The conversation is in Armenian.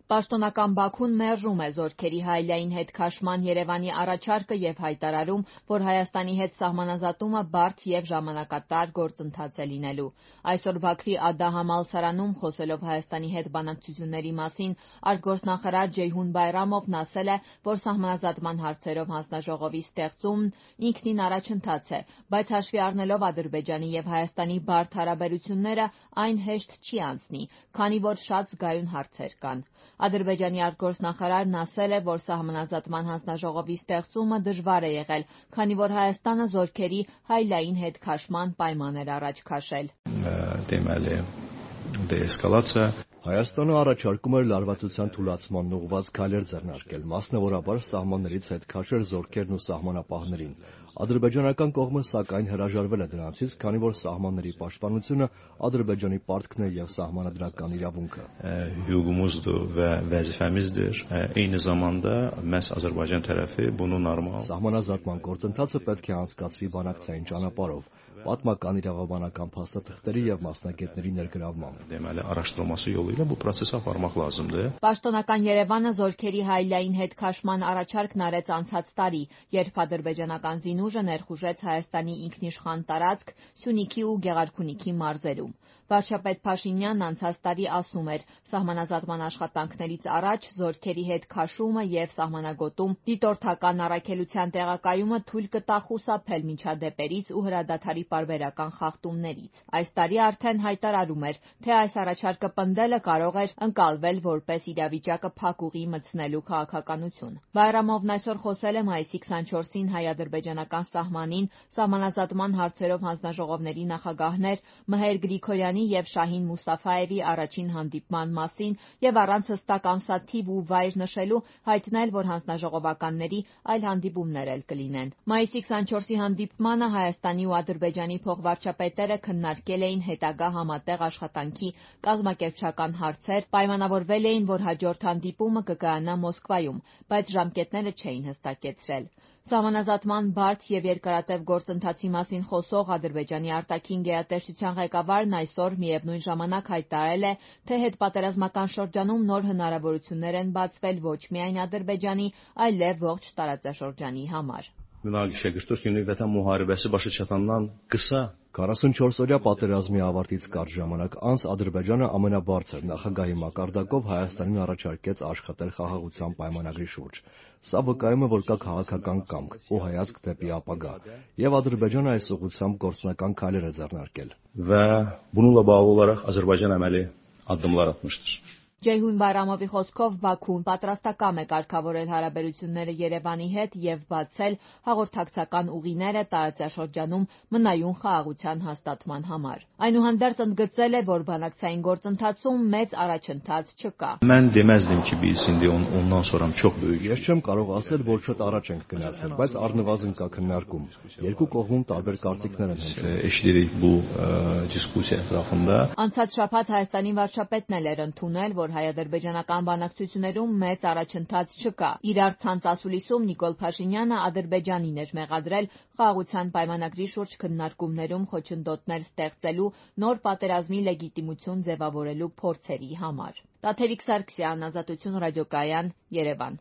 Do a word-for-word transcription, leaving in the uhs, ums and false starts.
Պաշտոնական Բաքուն մերժում է զորքերի հայելային հետ քաշման Երևանի առաջարկը և հայտարարում, որ Հայաստանի հետ սահմանազատումը բարդ և ժամանակատար գործընթաց է լինելու։ Այսօր Բաքվի ԱԴՀ-համալսարանում խոսելով Հայաստանի հետ բանակցությունների մասին, արտգործնախարար Ջեյհուն Բայրամովն ասել է, որ սահմանազատման հարցերով հանձնաժողովի ստեղծումն ինքնին առաջընթաց է, բայց հաշվի առնելով Ադրբեջանի և Հայաստանի բարդ հարաբերությունները, այն հեշտ չի անցնի, քանի որ շատ զգայուն հարցեր կան։ Ադրբեջանի արտգործնախարարն ասել է, որ սահմանազատման հանձնաժողովի ստեղծումը դժվար է եղել, քանի որ Հայաստանը զորքերի հայելային հետ քաշման պայման էր առաջ քաշել։ Հայաստանը առաջարկում էր լարվածության թուլացմանն ուղղված քայլեր ձեռնարկել, մասնավորապես սահմաններից հետ քաշել զորքերն ու սահմանապահներին։ Ադրբեջանական կողմը, սակայն, հրաժարվել է դրանցից, քանի որ սահմանների պաշտպանությունը Ադրբեջանի պարտքն է և սահմանադրական իրավունքը։ Սահմանազատման գործընթացը պետք է անցկացվի բանակցային ճանապարհով, պատմական, իրավաբանական փաստաթղթերի և մասնագետների ներգրավմամբ։ Պաշտոնական Երևանը զորքերի հայելային հետ քաշման առաջարկն արեց անցած տարի, երբ ադրբեջանական զինուժը ներխուժեց Հայաստանի ինքնիշխան տարածք Սյունիքի ու Գեղարքունիքի մարզերում։ Վարչապետ Փաշինյանն անցած տարի ասում էր՝ սահմանազատման աշխատանքներից առաջ զորքերի հետ քաշումը և սահմանագոտում դիտորդական առաքելության տեղակայումը թույլ կտա խուսափել միջադեպերից ու հրադադարի պարբերական խախտումներից։ Այս տարի արդեն հայտարարում էր, թե այս առաջարկը պնդելը կարող էր ընկալվել որպես իրավիճակը փակուղի մտցնելու քաղաքականություն։ Բայրամովն այսօր խոսել է մայիսի քսանչորսին հայ-ադրբեջանական սահմանին սահմանազատման հարցերով հանձնաժողովների նախագահներ Մհեր Գրիգորյանի և Շահին Մուստաֆաևի առաջին հանդիպման մասին և առանց հստակ ամսաթիվ ու վայր նշելու հայտնել, որ հանձնաժողովականների այլ հանդիպումներ էլ կլինեն։ Մայիսի քսանչորսի հանդիպմանը Հայաստանի ու Ադրբեջանի փոխվարչապետերը քննարկել էին հետագա համատեղ աշխատանքի կազմակերպչական հարցեր, պայմանավորվել էին, որ հաջորդ հանդիպումը կկայանա Մոսկվայում, բայց ժամկետները չէին հստակեցրել։ Սահմանազատման բարդ և երկարատև գործընթացի մասին խոսող Ադրբեջանի արտաքին գերատեսչության ղեկավարն այսօր միևնույն ժամանակ հայտարարել է, թե հետպատերազմական շրջանում նոր հնարավորություններ են բացվել ոչ միայն Ադրբեջանի, այլև ողջ տարածաշրջանի համար։ քառասունչորսօրյա պատերազմի ավարտից կարճ ժամանակ անց Ադրբեջանը ամենաբարձր նախագահի մակարդակով Հայաստանին առաջարկեց աշխատել խաղաղության պայմանագրի շուրջ։ Սա վկայում է, որ կա քաղաքական կամք ու հայացք դեպի ապագա, և Ադրբեջանը այս ուղղությամբ գործնական քայլեր է ձեռնարկել։ Ջեյհուն Բայրամովի խոսքով Բաքուն պատրաստակամ է կարգավորել հարաբերությունները Երևանի հետ և բացել հաղորդակցական ուղիները տարածաշրջանում մնայուն խաղաղության հաստատման համար։ Այնուհանդերձ ընդգծել է, որ բանակցային գործընթացում մեծ առաջընթաց չկա։ Ես չեմ կարող ասել, որ շատ առաջ ենք գնացել, բայց առնվազն կա քննարկում։ Երկու կողմում տարբեր կարծիքներ են հնչում։ Անցած շաբաթ Հայաստանի վարչապետն էլ էր ընդունել, որ հայ-ադրբեջանական բանակցություններում մեծ առաջընթաց չկա։ Իրար ցանց ասուլիսում Նիկոլ Փաշինյանը Ադրբեջանին էր մեղադրել խաղաղության պայմանագրի շուրջ քննարկումներում խոչընդոտներ ստեղծելու, նոր պատերազմի լեգիտիմություն ձևավորելու փորձերի համար։ Տաթևիկ Սարգսյան, Ազատություն ռադիոկայան, Երևան։